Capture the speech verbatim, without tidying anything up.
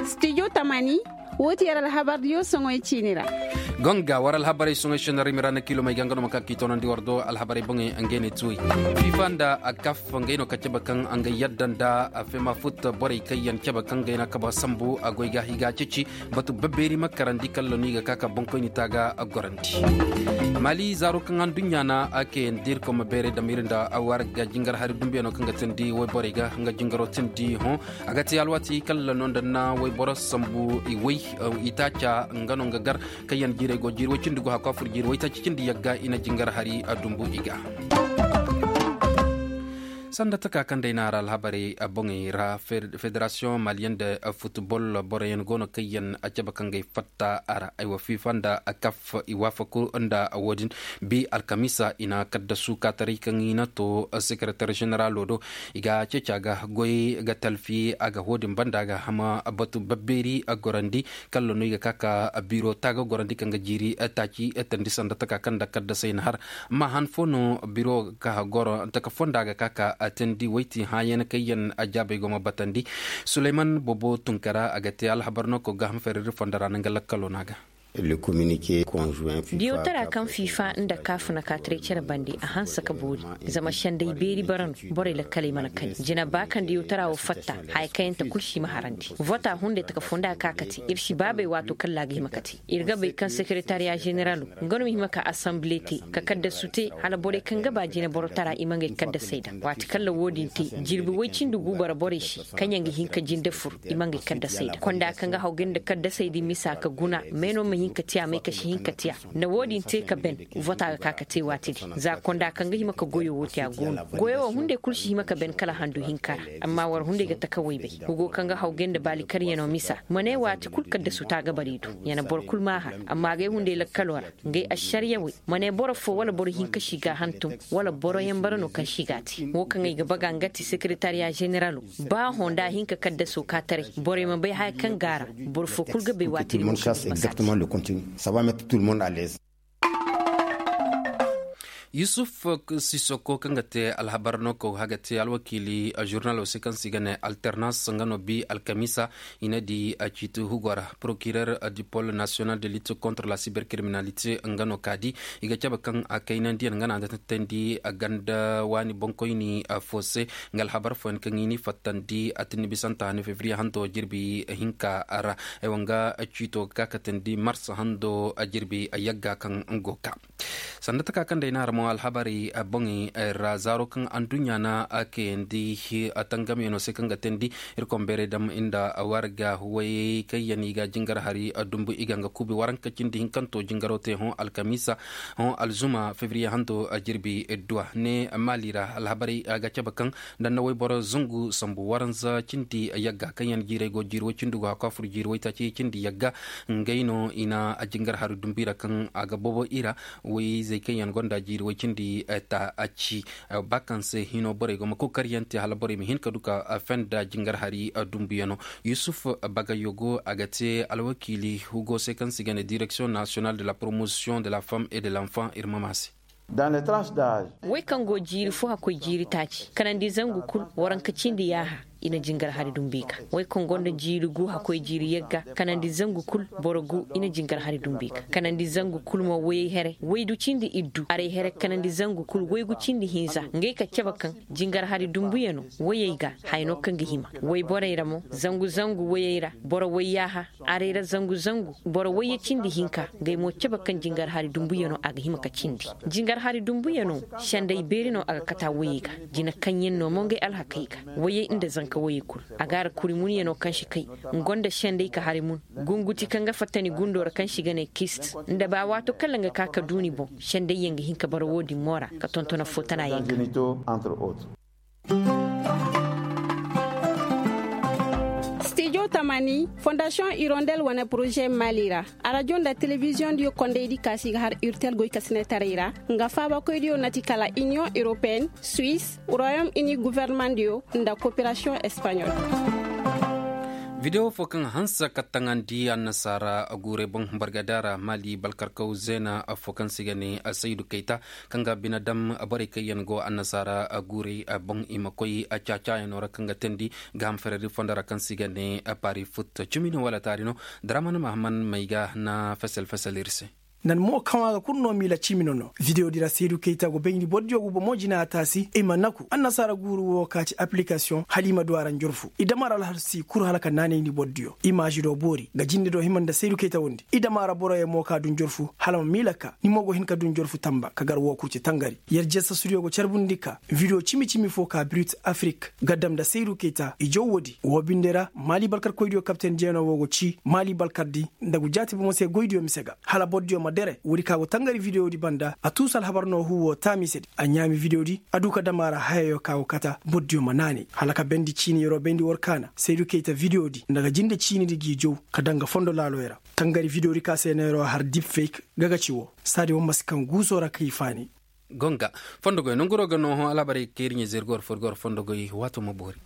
Studio tamani, wo ti yar alhabar diyo soŋoy ciini ra. Gonga war alhabarey soŋoy shenarimi ra na kiilomey ga nga no ma ka k'i toonandi war do alhabarey boŋey. Ngey ne tuwey fifa nda a kaf ngey no ka cabe kaŋ nga yadda nda a fema fut borey kaŋ yaŋ cabe kaŋ gayna kaba sambu a goy ga higa ceci. Batu babbeeri ma karandi kalla no i ga ka ka boŋkoyni ta ga gorandi. Mali zaaro kaŋ anduɲɲa na a kayandi irkoy ma beeray dama iri nda a war ga jingar hari dumbuyaŋo kaŋ ga teendi wayborey ga nga jingaro teendi hõ. A ga te alwaati kalla no nda na wayboro sambu i way i taaca nga no nga gar kaŋ yaŋ jiirey go jiiri way cindi go hakku a furo jiiri waytaaci cindi yagga i na jingar hari dumbu i ga. Sanda taka kaŋ day no a ra alhabarey boŋey ra federasiyoŋ maliyaŋ nda futbol boroyaŋ go no kaŋ yaŋ a cabe kaŋ ga ay fatta a ra ay wa fifa nda kaf i waafaku nda wo- din bi alkamiisa i na kaddasu kaataray kaŋ i na to sekeretar ženeralo do. I ga ceeci a ga goy ga talfi a ga wo- din banda a ga hama batu babbeeri gorandi kalla no i ga ka ka biro taaga gorandi kaŋ ga jiiri taaci tandi sanda taka kaŋ nda kaddasay na har. Amma han fo no biro ga ka goro taka fonda ga ka ka tandi wayti hãayaŋ kaŋ yaŋ a jaabay go ma batandi. Suleyman bobo tunkara a ga te alhabar no ko ga hama ferriri fonda ra no nga lakkalo no a ga. Diyawtara kaŋ fifa nda kaf na ka taray care bande a hanse ka boori. Zama senday beeri bara no borey lakkaley mana kani jina ba kaŋ diyawtara wo fatta. Haya kaŋ yaŋ ta kulu si ma harandi vota hunday taka fonda ga ka ka te iri si baabay waato kaŋ laaga hima ka te. Iri ga bay kaŋ sekeretariya ženeralo nga no ma hima ka asanble te ka kaddasu te hala borey kaŋ ga ba jina borotara i ma ngey kaddasey daŋ waati kaŋ ra wo- din te. Jirbi way cindi gu bara borey se kaŋ yaŋ ga hin ka jinde fur i ma ngey kaddasey daŋ konda kaŋ ga hawgay nda kaddasey din misa ka guna me no ma hin ka tiya may ka si hin ka tiya. Nda wo- din te ka ben vota ga ka ka te waati din za konda kaŋ ga hima ka goyo wo te a go no goyo wo hunday kulu si hima ka ben kala handu hinka ra. Amma war hunday ga taka waybay hugo kaŋ ga hawgay nda baali karyaŋo misa ma ne waati kulu kaddasu ta ga bari du. Ya na boro kulu ma a har amma agay hunday lakkalo ra ngey ašariya way ma ne boro fo wala boro hinka si ga a hantum wala boro yaŋ bara no kaŋ si ga a te wo kaŋ ay ga baga nga ti sekeretariya ženeralo. Ba hõ nda a hin ka kaddaso ka taray borey ma bay haya kaŋ ga a ra. Boro fo kulu ga bay waati din mo si hin ka saaci. Yusuf sisoko kaŋ ga te alhabar no kaŋ ga te alwakiili žurnalo se kaŋ se i ga ne alternance nga no bi alkamiisa. I na di a ciiti hugo ra procureur du pôle national de lutte contre la cybercriminalité nga no ka di. I ga cabe kaŋ a kaynandiyaŋ nga no a ga teendi ganda waani boŋkoyni fo se. Nga alhabar fooyaŋ kaŋ i n'i fattandi a tinni bisanta hanno febriye hanto jirbi hinka ra. Ay wa nga ciito ga ka ka teendi mars hando jirbi yagga kaŋ go ka. Sanda taka kaŋ day no a ra mo alhabarey boŋey ra zaaro kaŋ anduɲɲa na a kayandi a tangamyaŋo se kaŋ ga teendi. Iri konbeeray dam nda warga way kaŋ yaŋ i ga jingar hari dumbu i ga nga kuubi waranka cindi hinkanto jingaro te hõ alkamiisa hõ alzuma febriye hanto jirbi duwa ne maali ra alhabarey ga cabe kaŋ danda wayboro zangu sambu waranza cindi yagga kaŋ yaŋ jiirey go jiiri way cindi go hakku a furo jiiri waytaaci cindi yagga. Ngey no i na jingar hari dumbu i ra kaŋ a ga bobo i ra. Wayzey kaŋ yaŋ gonda jiiri way cindi ta a ci ba kaŋ se hino borey go ma kokaryaŋ te hala borey ma hin ka du ka fenda jingar hari dumbuyaŋo. Yusuf bagayogo a ga te alwakiili hugo se kaŋ se i ga ne direction national de la promotion de la femme et de l'enfant iri ma ma se. Way kaŋ go jiiri fo hakkoy jiiri taaci kanandi zangu kulu waranka cindi yaaha. I na jingar hari dumbu i ga way kaŋ gonda jiiri gu hakkoy jiiri yagga kanandi zangu kulu boro gu i na jingar hari dumbu i ga kanandi zangu kulu mo wayey here waydu cindi iddu arey here kanandi zangu kulu waygu cindi hinza ngey ka cabe kaŋ jingar hari dumbuyaŋo wayey ga haya no kaŋ ga hima wayborey ra mo zangu zangu wayey ra boro wayyaaha. Arey ra zangu zangu boro wayye cindi hinka ngey mo cabe kaŋ jingar hari dumbuyaŋo a ga hima ka cindi jingar hari dumbuyaŋo. Senday beeri no a ga kata wayey ga jina kaŋ yaŋ no mo ngey alhakey ga wayey nda zanka wayey kulu a ga a ra kuri munyaŋo kaŋ si kay nga gonda senday ka hari mun gunguti kaŋ ga fatta ni gundo ra kaŋ si ga ne kist nda ba waato kala nga ka ka du ni boŋ senday yaŋ ga hin ka bara wo- din mo ra ka tonton affo tana yaŋ ga. Studio tamani fondasiyoŋ hirondel wane poroze maali ra arajo nda telebiziyoŋ diyo kondaydi kaasi ga har urtel goykasinetaray ra nga faabakoydiyo nati kala iniyoŋ europeyenne suisse royaume uni governemandiyo nda koperasiyoŋ espaɲol. Video fo kaŋ hanse ka taŋandi annasaara guurey boŋ bargada ra maali balkarkaw zeena fo kaŋ se i ga ne saydu kayta, kaŋ ga bine dam borey kaŋ yaŋ go annasaara guurey boŋ i ma koy caacaayano ra kaŋ ga teendi gaaham feredi fondo ra kaŋ se i ga ne paari fut cimi no wala taari no. Daraman mahaman may ga na fesel fesel iri se. Nan mo kaŋ a ga kulu no miila cimi no no video di ra seedu kayta go bayndi boro diyo go bomo jina a taasi i ma naku annasaara guuru wo ka ci application hala i ma du a ra njorfu i dama ra alhalsi kuru hala ka naanayndi boro diyo imaazi do boori ga jinde do hima nda seedu kayta wondi i dama ra boro yaŋ mo ka du njorfu hala ma miila ka ni mo go hin ka du njorfu tamba ka gar wo kulu ci tangari. Yarjesa sudiyo go carbundi ka video cimi cimi fo ka birit afrik ga dam nda seedu kayta i jaw woodi wo binde ra maali balkar koydiyo kapten jeeno wo go ci maali balkar di nda gu jaati bomo se goydiyo mise ga hala bordiyo ma dere woodi ka go tangari video di banda a tuusu alhabar no hu wo taami se di a ɲaami video di a du ka dama ra hayayo ka go kata bordiyo ma naanay hala ka bendi ciini yero bendi war kaana seedu kayta video di nda ga jinde ciini di g'i jaw ka danga fondo laaloyo ra tangari video di ka se neero har deep fake ga ga ci wo saadi wo ma si kaŋ guuso ra ka i faani. Gonga fondo goy nanguro ga nooho alhabarey kaŋ iri ɲa zeeri goro fo iri goro fondo goy waato ma boori.